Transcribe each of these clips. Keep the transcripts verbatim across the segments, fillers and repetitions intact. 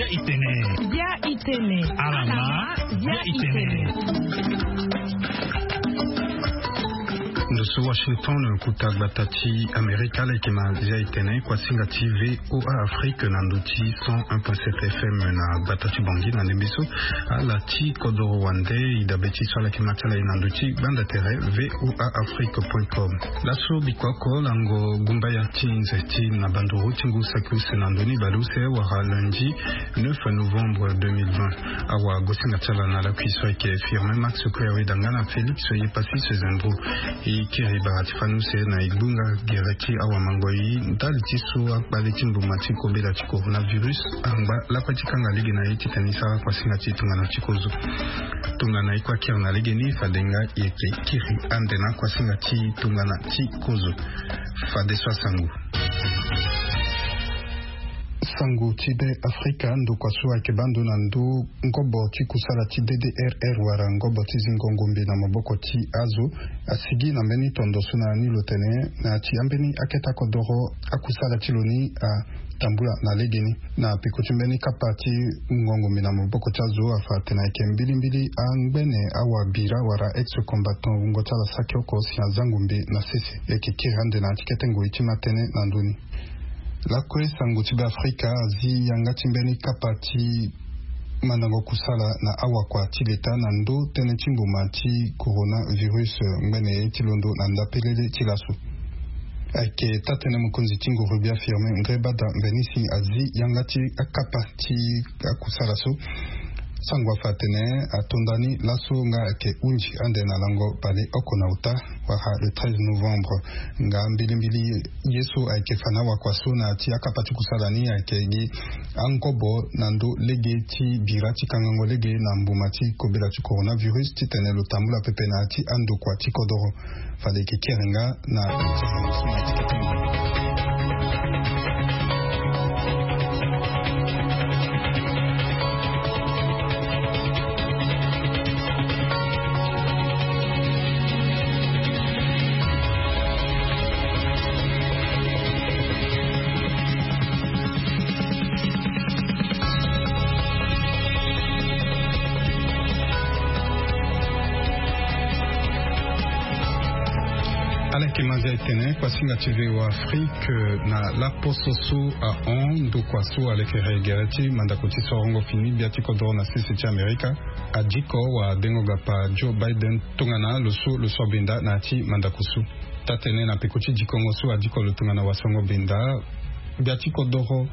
Itene. Bia itene. Alama. Bia itene. Ndo so Washington, kota gbata ti Amerika, ala yeke ma zia itene kuasinga ti VOA Afrique na ndo ti cent un point sept F M na gbata ti Bangui na ndembe so. Ala ti kodoro wande, e dabe ti so ala yeke ma ti ala e na ndo ti gbanda tere VOA Afrique point com. Laso bikua oko lango gumbaya ti nze ti na banduru ti ngu saki use na ndo ni baleuse wara lundi neuf novembre deux mille vingt. Awagosinga ti ala na lakui so ayeke Firmin Max Kouyaoué Danga na Félix Yepassi Sezendro. E kiri bara ti fani use na e gbunga gere ti awamangoi ndali ti so akpale ti mbuma ti kobela ti coronavirus angba lakue ti kanga lege na e titene e sara kuasinga ti tongana ti kozo. Tongana e kue akiri na lege ni, fade nga e yeke kiri ande na kuasinga ti tongana ti kozo. Fadeso asango. Sango ti be Afrika, ndokua so ayeke baa ndo na ndo ngobo ti kusala ti D D R R wala ngobo ti zingo ngombe na maboko ti azo asigi na mbeni tondo so na ni lo tene na ya ti ambeni akete kodoro akusala ti lo ni atambula na legeni. Na peko ti mbeni kapa ti ngongo mbi na maboko ti azo afa atene ayeke mbilimbili angbene awabira wala ex combattant wungo ti ala saki oko si aza ngombe na sese. E yeke kiri ande na ya ti kete ngoi ti matene na ndö ni. Lakue sango ti be Afrika azi yanga ti mbeni kapa ti mandango kusala na awakua ti leta na ndö tënë ti mbuma ti coronavirus ngbene ye ti londo na ndapelele ti laso. Ayeke taa-tënë mokonzi ti nguru gbia Firmin Ngrébada Mbenisi azi yanga ti akapa ti akusala so. Sango afa atene atonda ni laso nga ayeke hunzi ande na lango baleoko na ota wala le treize novembre. Nga mbilimbili ye so ayeke fa na awakua so na ya ti akapa ti kusala ni ayeke gi angobo na ndö lege ti bira ti kangango lege na mbuma ti kobela ti coronavirus titene lo tambula pepe na ya ti andokua ti kodoro. Fade e yeke kiri nga na Ala yeke ma zia etene kuasinga ti VOA Afrique na laposo so ahon ndokua so alekere gere ti mandako ti sorongo fini gbia ti kodoro na sese ti Amerika adiko wadengo gapa Joe Biden tongana lo so lo so abenda na ya ti mandako so. Taa-tënë na peko ti dikongo so adiko lo tongana wasongo benda gbia ti kodoro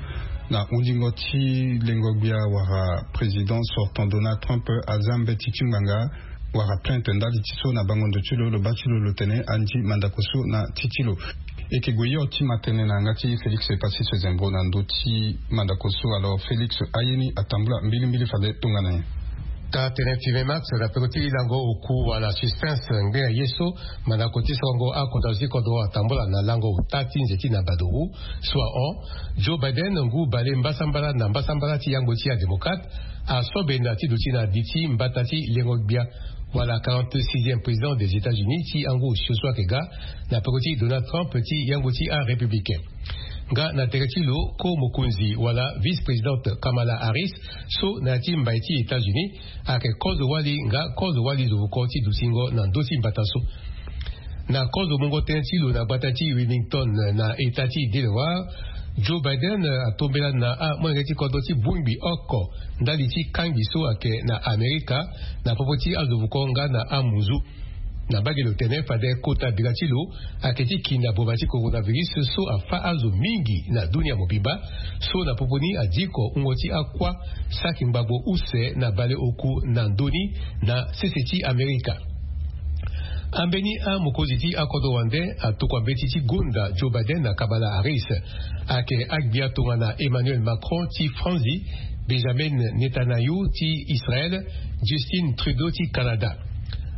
na hundingo ti lengo gbia wala président sortant Donald Trump aza mbeti ti ngbanga wala plainte ndali ti so na bango ndo ti lo, lo baa ti lo lo tene andi mandako so na ti ti lo. E yeke gue hio ti ma tënë na yanga ti Félix Epassis Sezembro na ndö ti mandako so. Alors Félix aye ni atambula mbilimbili fade tongana nyen? Taa-tënë ti Vemax na peko ti lango oku wala suspense ngbene ye so mandako ti sorongo akodro ti kodro atambula na lango ota ti nze ti na baduru so ahon. Joe Biden ngu bale mbasambala na mbasambala ti yango ti adémocrate aso benda ti duti na li ti mbata ti lengo gbia wala quarante-sixième président des États-Unis ti yango osio so ayeke ga na peko ti Donald Trump ti yango ti arépublicain. Nga na tere ti lo ko mokonzi wala vice-présidente Kamala Harris so na ya ti mbai ti États-Unis ayeke kozo wali nga kozo wali zo voko ti dutingo na ndö ti mbata so. Na kozo mungo tënë ti lo na gbata ti Wilmington na état ti Delaware, Joe Biden atombela na amolenge ti kodro ti bongbi oko ndali ti kangbi so ayeke na Amerika na popo ti azo voko nga na amunzu. Na mbage lo tene fade kota bira ti lo ayeke ti kinda boma ti coronavirus so afa azo mingi na dunia mobimba, so na popo ni adiko wungo ti akua saki ngbagbo use na bale oku na ndö ni na sese ti Amerika. Ambeni amokonzi ti akodro wande atokua mbeti ti gonda Joe Biden na Kamala Harris. Ayeke agbia tongana Emmanuel Macron ti Franzi, Benjamin Netanyahu ti Israël, Justin Trudeau ti Canada.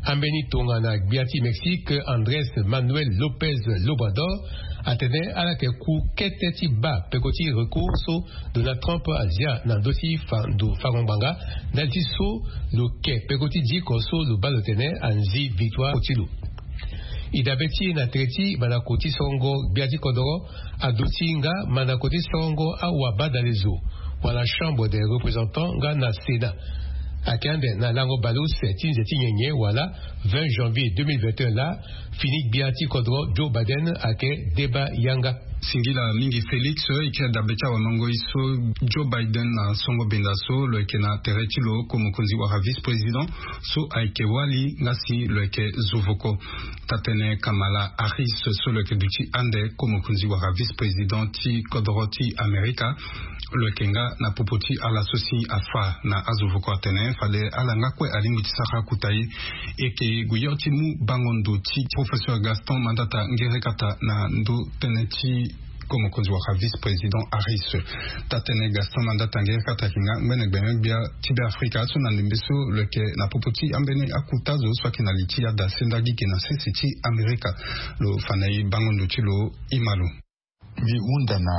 Ambeni tongana gbia ti Mexique Andrés Manuel López Obrador atene ala yeke ku kete ti baa peko ti recours so Donald Trump azia na ndö ti fa ndo fango ngbanga ndali ti so lo ke peko ti diko so lo baa lo tene anzi victoire ti lo. E dabe ti e na tere ti mandako ti sorongo gbia ti kodoro aduti nga mandako ti sorongo awabadale zo Wala chambre des représentants nga na sénat. Ayeke ande na lango baleuse ti nze ti nyenye wala vingt janvier deux mille vingt et un laa, fini gbia ti kodro Joe Biden ayeke deba yanga. Singila mingi Félix, e yeke dabe ti awamango ye so Joe Biden na songo benda so lo yeke na tere ti lo ko mokonzi wala vice-président so ayeke wali nga si lo yeke zovoko. Taa-tënë Kamala Harris so lo yeke duti ande ko mokonzi wala vice-président ti kodro ti Amerika, lo yeke nga na popo ti ala so si afa na azovoko atene fade ala nga kue alingbi ti sara akuta ye. E yeke gue yo ti mu bango ndo ti professeur Gaston Mandata Ngerekata na ndo tënë ti ko mokonzi wala vice-président Harris. Taa-tënë Gaston Mandata Ngerekata ayeke nga ngbene gbene gbia ti Beafrika so na ndembe so lo yeke na popo ti ambeni akuta zo so ayeke na li ti ada sendagi ge na sese ti Amerika. Lo fa na e bango ndo ti lo. E ma lo. Mbi hunda na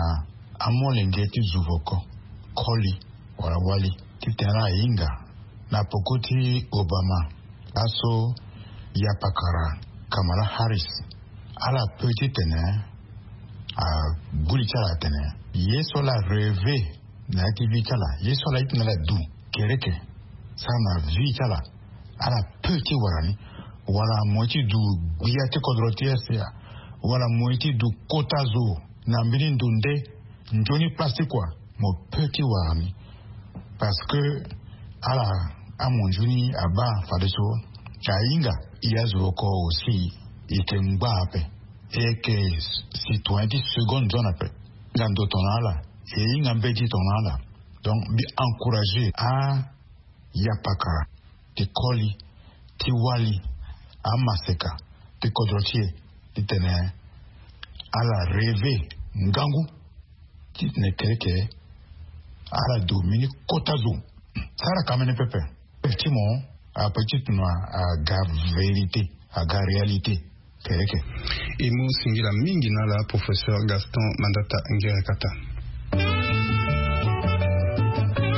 amolenge ti zovoko, koli wala wali, titene ala hinga na poko ti Obama, laso yapakara Kamala Harris, ala pe titene agbu li ti ala atene ye so ala rêve na ya ti vie ti ala, ye so ala ye titene ala du kereke sara na vie ti ala, ala pe ti wara ni. Wala mo ye ti du gbia ti kodro ti ese, wala mo ye ti du kota zo na mbeni ndo nde nzoni place ti kua, mo pe ti wara ni. Parce que ala, amonzoni abaa fadeso ahinga. E azo oko aussi e yeke ngbaa ape, e yeke citoyen ti seconde zone ape. Nga ndo tongana ala, e hinga mbeti tongana ala. Donc mbi encourager a yapakara ti koli, ti wali, amaseka ti kodro ti e, titene ala rêve ngangu titene kereke ala du mbeni kota zo. Sara ka mene pepe. Ti mo ape ti tuna aga vérité, aga réalité. Kereke. E mu singila mingi na ala professeur Gaston Mandata Ngerekata.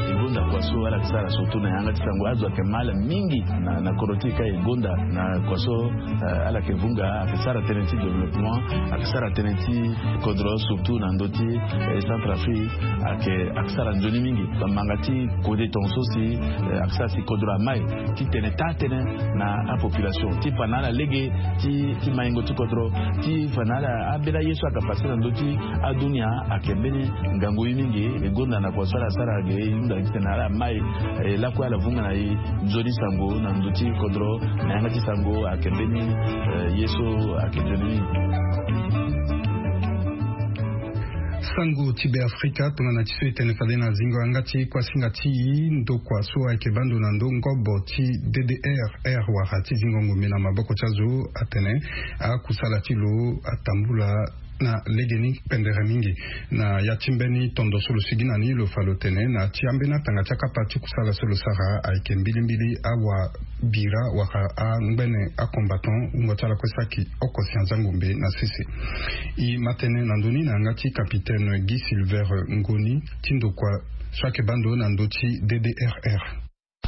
E gonda kua so ala yeke sara surtout na yanga ti sango, azo ayeke mal mingi na, na kodro ti e ka. E gonda na kua so, eh, ala yeke vunga, ayeke sara tënë ti développement, ayeke sara tënë ti kodro surtout na ndö ti, eh, Centrafrique, ayeke, ayeke sara nzoni mingi. Bamanga ti kode tongaso si, eh, ayeke sara si kodro amai titene taa-tënë na apopulation ti fa na ala lege ti, ti maingo ti kodro, ti fa na ala ambeni aye so ayeke pase na ndö ti adunia. Ayeke mbeni ngangu ye mingi. E gonda na kua so ala sara ge, e hunda titene ala mai, eh, lakue ala vunga na e nzoni sango na ndö ti kodro na yanga ti sango ayeke mbeni, eh, ye so ayeke nzoni mingi. Sango ti Beafrika tongana ti so e tene fade na zingo yanga ti kuasinga ti ndokua so ayeke baa ndo na ndö ngobo ti D D R R wala ti zingo ngombe na maboko ti azo atene akusala ti lo atambula na legeni pendere mingi. Na ya ti mbeni tondo so lo sigi na ni lo fa lo tene na ti ambeni atanga ti akapa ti kusala so lo sara ayeke mbilimbili awa bira wala angbene acombattant wungo ti ala kue saki oko si anzango mbe na sese. E ma tene na ndö ni na yanga ti capitaine Guy Silver Ngoni ti ndokua so ayeke baa ndo na ndö ti D D R R.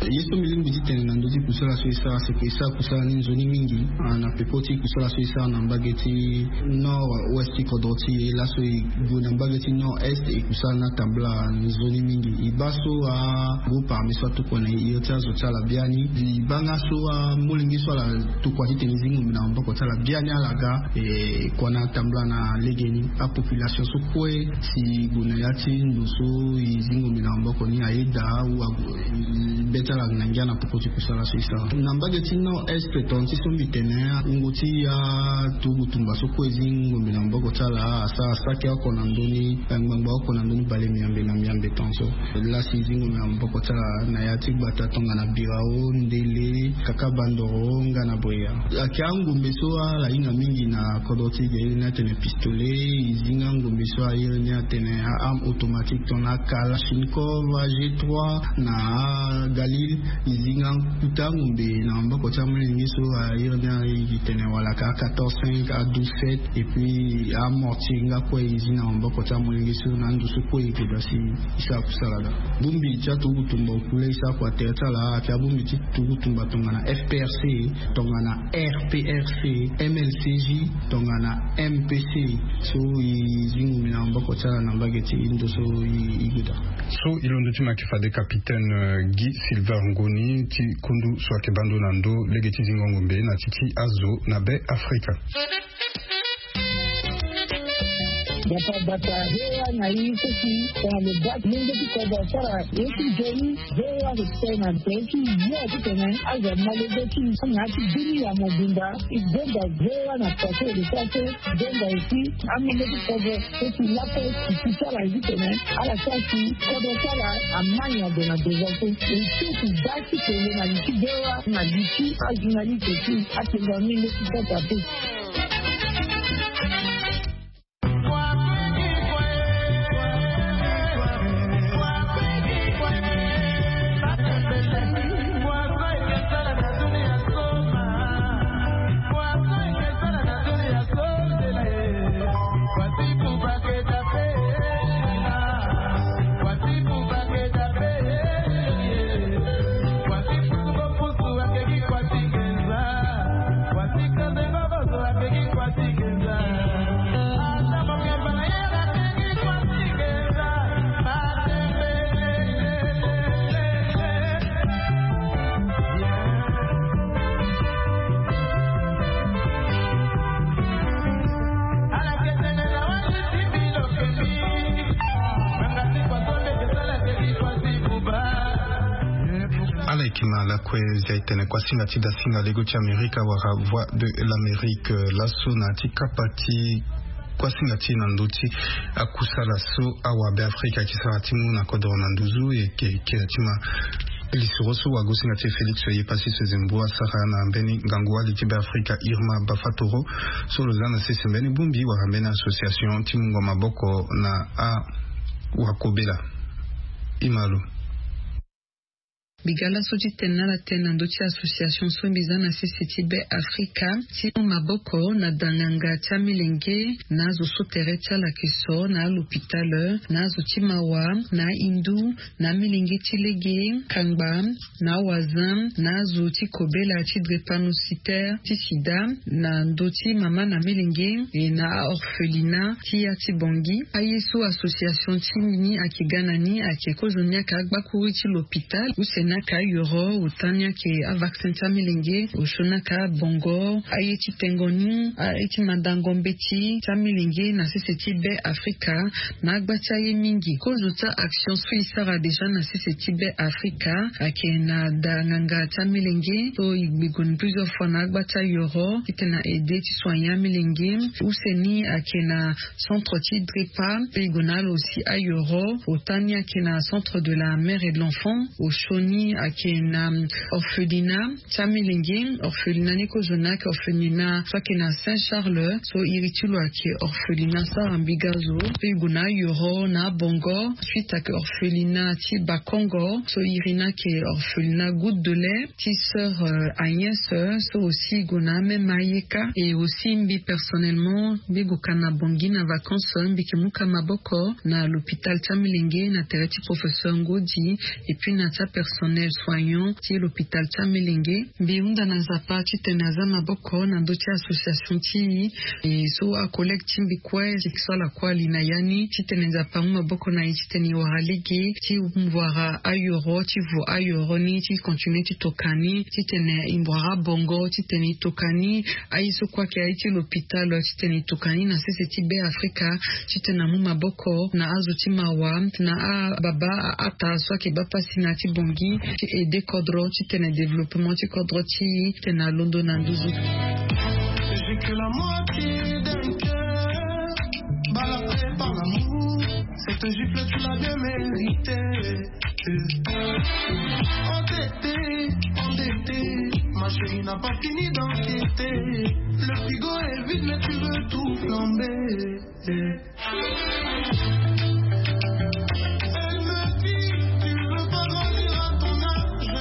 Ye so mbi lingbi ti tene na ndö ti kusala so e sara, seke e sara kusala ni nzoni mingi, ah, na peko ti kusala so e sara na mbage ti nord ouest ti kodro ti e. Laso e gue na mbage ti nord est, e kusala ni atambula nzoni mingi. E baa so agroupe armé so atokua na e, e iri ti azo ti ala biani. E baa nga so amolenge so ala tokua titene e zi ngombe na maboko ti ala biani ala ga, e kua na atambula na legeni. Apopulation so kue si e gue na ya ti ndo so e zi ngombe na maboko ni ayeda ou ague, be ti ala na ngia na poko ti kusala so e sara. Na mbage ti nord est, tonga ti so mbi tene, wungo ti aturugu tumba so kue e zi ngombe na maboko ti ala asara saki oko na ndö ni, ngbangba oko na ndö ni bale miambe na miambe tongaso. Laa si e zi ngombe na maboko ti ala na ya ti gbata tongana Birao, Ndele, Kakabandoro nga na Bweya. Ayeke angombe so ala hinga mingi na kodro ti e, e iri ni atene pistolet. E zi nga ngombe so a iri ni atene a-arme automatique tongana Kalachnikov, A G trois na a Khalil, e zi nga kuta ngombe na maboko ti amolenge so, a iri ni a e tene wala ka quatorze cinq a douze sept, et puis amortier nga kue e zi na maboko ti amolenge so na ando so kue e goda si e sara kusala ga. Bongbi ti aturugu tumba okule e sara kua tere ti ala ayeke abongbi ti turugu tumba tongana F P R C, tongana R P R C, M L C J, tongana M P C. So e zi ngombe na maboko ti ala na mbage ti ndo so e goda. So e londo ti ma yeke fade capitaine Guy Silver Ngoni ti kundu so ayeke bando na ndo lege ti zingo ngombe na ti ti azo na be Afrika. Bata bata hewa na i seki tongana lo bati lenge ti kobo sara ye ti joli. Hewa respect na be ti yo ti tene azo malege ti na ti bini ya mobimba. I gbonga hewa na pase de pase. Gbonga esi amenge ti kobo so ti lape ti ti ti ala zi tene ala sara si kodro ti ala amani ado na devant so. E ti ti da ti kele na li ti hewa na li ti ajournaliste ti atengo amenge ti kota pe. Ala yeke ma lakue zia e tene kuasinga ti dasinga lego ti Amerika wala Voix de l'Amérique, laso na ya ti kapa ti kuasinga ti e na ndö ti akusala so awabe Afrika ayeke sara ti mu na kodro na nduzu. E yeke kiri ti ma lisoro so wagosinga ti e Félix Oye Pasi so Zembo asara na mbeni ngangu wali ti be Afrika Irma Bafatoro so lo za na sese mbeni bongbi wala mbeni association ti mungo maboko na awakobela. Imalo. Mbi ga laso ti tene na ala tënë na ndö ti association so mbi za na sese ti be Afrika ti mu maboko na danganga ti amilenge na azo so tere ti ala yeke so na alopitale, na azo ti mawa, na ahindu, na amilenge ti lege, kangba, na awazin, na azo ti kobela ti drépanocytaire ti sida, na ndö ti mama na milenge, e na aorphelina ti ya ti Bangui. Aye so association ti ni ayeke ga na ni ayeke kozoni ayeke agbakuru ti lopitale, use ni ayeke ayoro, ota ni ayeke avaccin ti amilenge, osio ni ayeke abongo, aye ti tengo ni, aye ti mandango mbeti ti amilenge na sese ti be Afrika. Na agba ti aye mingi kozo ti action so e sara déjà na sese ti be Afrika ayeke na da nganga ti amilenge so e gbi gue ni plusieurs fois na agba ti ayoro titene na aide ti soigner amilenge. Use ni ayeke na centre ti drepa, e gue na ala aussi ayoro. Ota ni ayeke na centre de la mère et de l'enfant. Osio ni ayeke na orphelina ti amilenge. Orphelina ni kozo ni ayeke orphelina so ayeke na Saint Charles, so iri ti lo ayeke orphelina sara mbi ga zo. Pe e gue na ayoro na abongo. Suite ayeke orphelina ti Bakongo, so iri ni ayeke orphelina Goutte de lait ti sœur Agnès, so aussi e gue na amême ayeka. Et aussi mbi personnellement mbi gue ka na Bangui na vacances, mbi yeke mu ka maboko na l'hôpital ti amilenge na tere ti professeur Ngodi, et puis na ti apersonnel soignant ti l'hôpital ti amilenge. Mbi hunda na Nzapa titene aza maboko na ndö ti association ti e, e so acollègue ti mbi kue ti so ala kue ali na ya ni titene Nzapa amu maboko na e titene e wara lege ti mu wara ayoro, ti vo ayoro ni, ti continue ti toka ni titene e wara bongo, titene e toka ni. Aye so kue ayeke aye ti lopitalo titene e toka ni na sese ti be Afrika titene amu maboko na azo ti mawa, na ababa, aata so ayeke baa pasi na ya ti Bangui, ti aide kodro titene développement ti kodro ti e titene alondo na nduzu. J'ai que la moitié d'un cœur, balayé par l'amour. Cette gifle, tu l'as bien méritée. Endetté, endetté, ma chérie n'a pas fini d'enquêter. Le frigo est vide, mais tu veux tout flamber. Elle me dit, tu veux pas grandir à ton âge.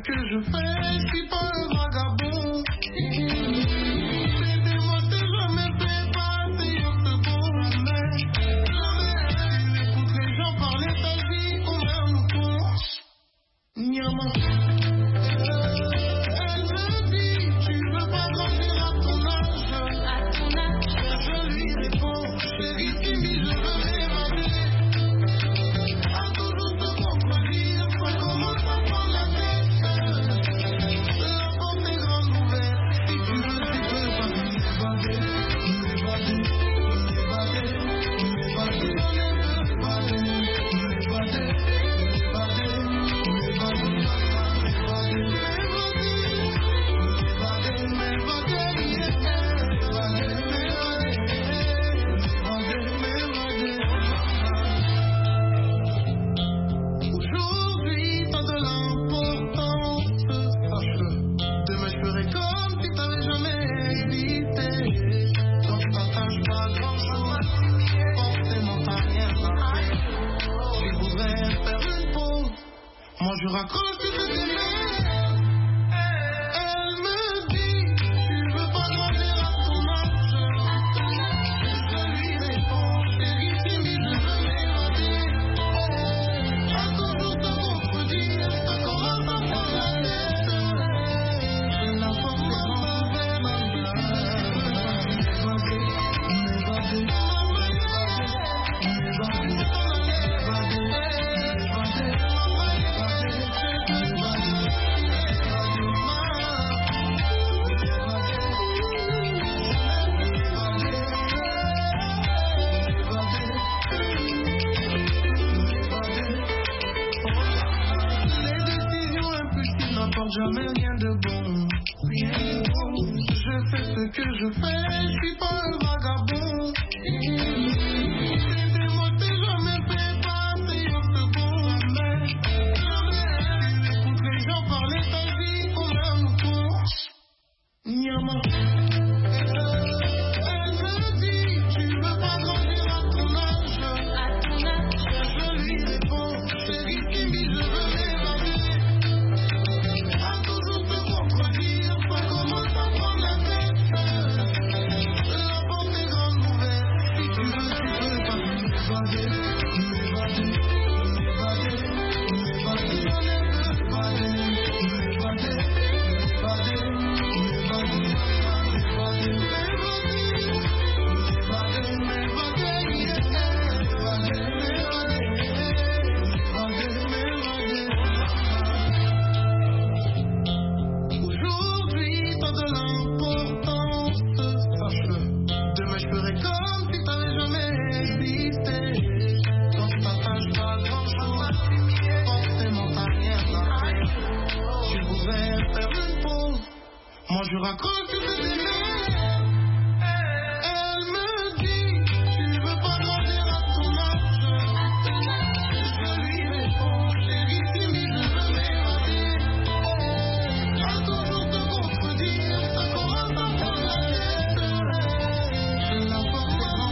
Que je fais, je suis pas un vagabond. T'es moi, t'es jamais fait pas, t'es un peu bon. Jamais, t'écoutes les gens parler ta vie comme un mouton. Niama. Elle me dit, tu veux pas grandir à ton âge. Je lui réponds, chérie, timide, je veux m'évader. À toujours te contredire, ça commence à prendre la tête. La porte est grande ouverte, si tu veux, tu peux partir. Aujourd'hui, t'as de l'importance, sache-le. Demain, je ferai comme si t'avais jamais existé. Quand je partage pas grand-chose, forcément t'as rien. Tu voudrais faire une pause. Moi, je raccroche, tu te démerdes. Elle me dit, tu veux pas grandir à ton âge. Je lui réponds, chérie, timide, je veux m'évader. À toujours te contredire, ça commence à prendre la tête. La force est grande ouverte, si tu veux, tu peux partir. Les décisions impulsives n'apportent jamais rien de bon. Je sais ce que je fais, je suis pas un vagabond. C'était moi, t'es jamais fait pas, c'est un peu bon. Jamais, écoute les gens parler ta vie comme un mouton. Niama. Elle me dit, tu veux pas grandir à ton âge. Je lui réponds, chérie, timide, je veux m'évader. À toujours te contredire, ça commence à prendre la tête. La porte est grande ouverte, si tu veux, tu peux partir. Aujourd'hui, t'as de l'importance, sache-le. Demain, je ferai comme si t'avais jamais existé. Quand tu partages pas grand-chose, forcément, t'as rien. Tu voudrais faire une pause. Moi, je raccroche, tu te démerdes. Elle me dit, tu veux pas grandir à ton âge. Je lui réponds, chérie, timide, je veux m'évader. À toujours te contredire, ça commence à prendre la tête. La force est grande.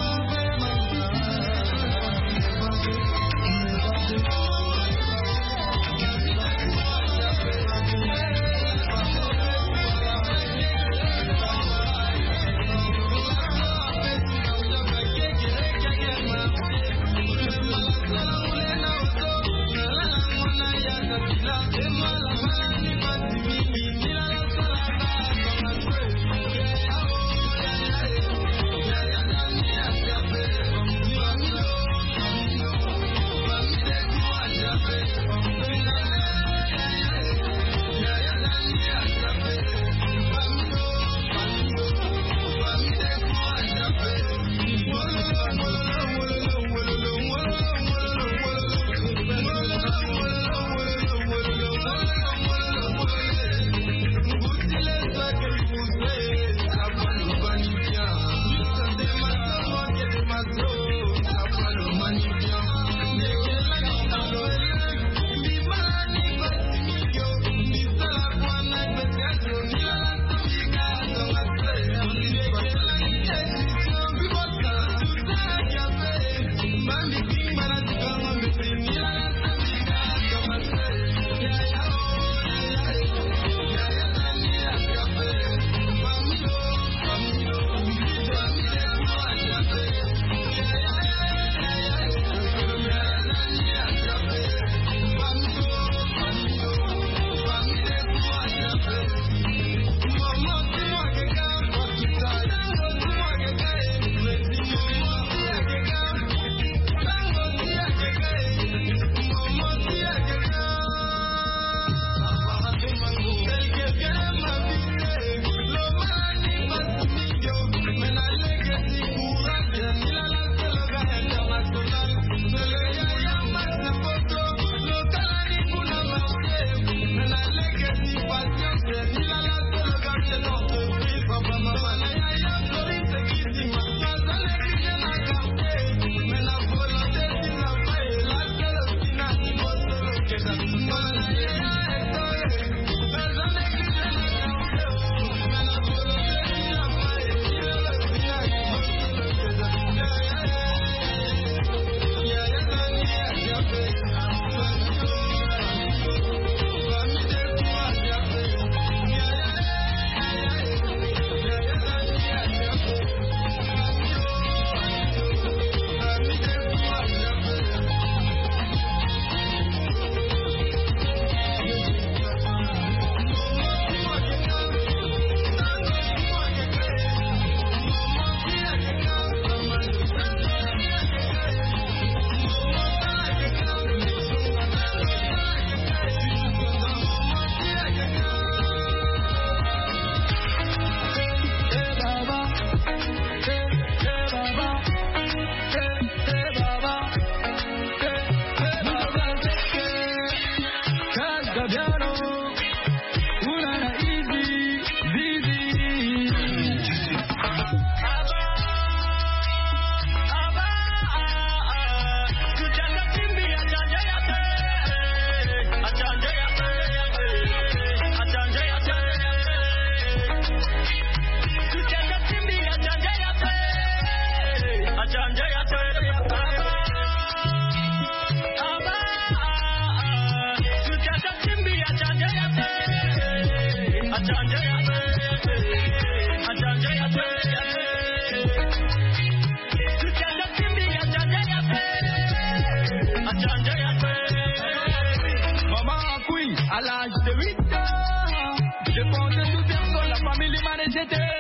C'était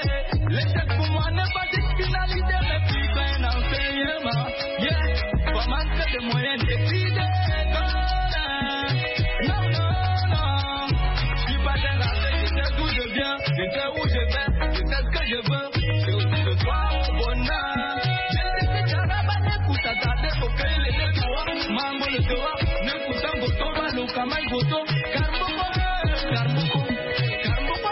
l'échec pour moi n'est pas une finalité, mais plutôt un enseignement. Yeah, faut manquer de moyens d'étudier. Non, non, non. Je suis pas un raté, je sais d'où je viens, je sais où je vais, je sais ce que je veux. Je, je crois au bonheur. Je sais que Jaraba n'écoute à ta tête, ok, il est le droit. Mambo le droit, n'écoutant Goto, Balo, Kamai Goto. Karboko, Karboko, Karboko, Moto.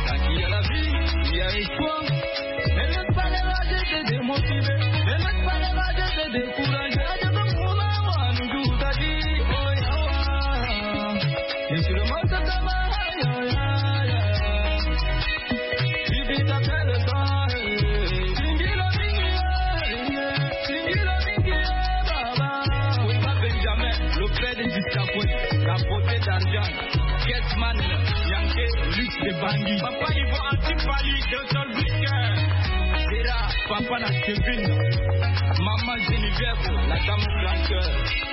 Quand il y a la vie, il y a espoir. Ne laisse pas les rages te démotiver. Ne laisse pas les rages te décourager. Aja ko muna wa nuju tadi. Oh, ya, wa. Et sur le monde, ça va. Ya, ya, ya. Bibi t'appelle le temps, eh. Singila mingi, eh, singila mingi, eh, baba. Oliver Benjamin, le père de Discapoué, la beauté d'argent. Kesman, Yankee, Luc de Bangui. Papa Ivo Antipali, de Solvik. Zera, papa na Kevin. Maman Geneviève, la dame au grand cœur.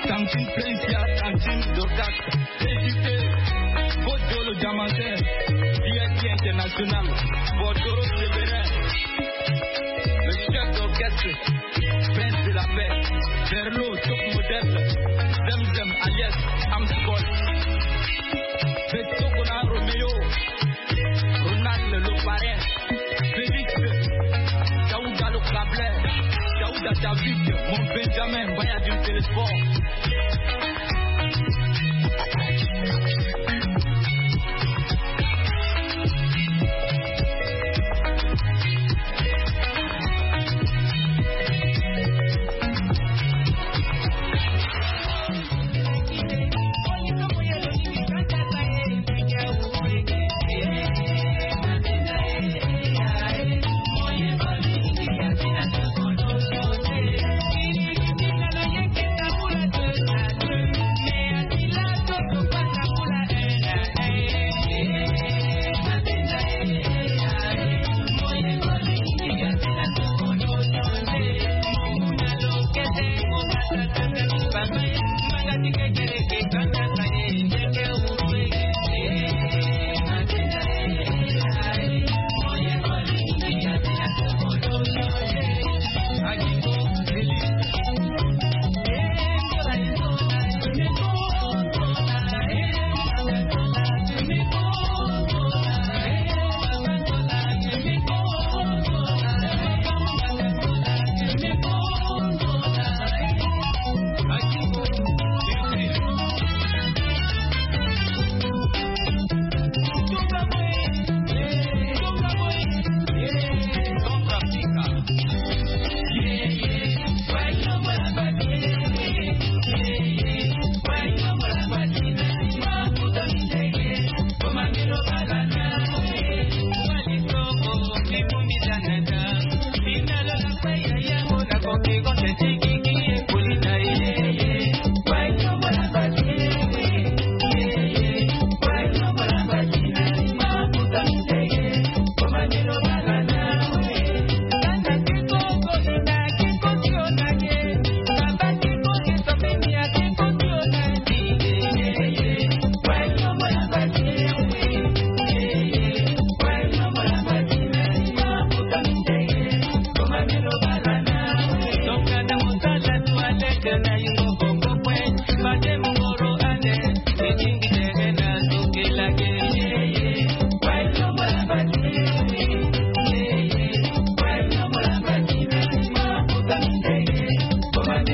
Tantine Plencia, tantine Dorcas. Député, Godolo Diamantin. V I P international. Bordoro Séverin. Le chef d'orchestre. Prince de la paix, Verlo, top modèle, Zem Zem alias Amscol, Beto Kona Romeo, Ronald le parrain, Félix, Daouda le câbleur, Daouda David, mon Benjamin, Baya du Télésport.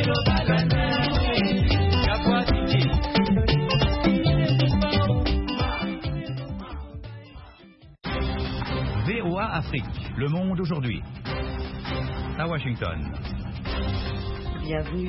V O A Afrique, le monde aujourd'hui. À Washington. Bienvenue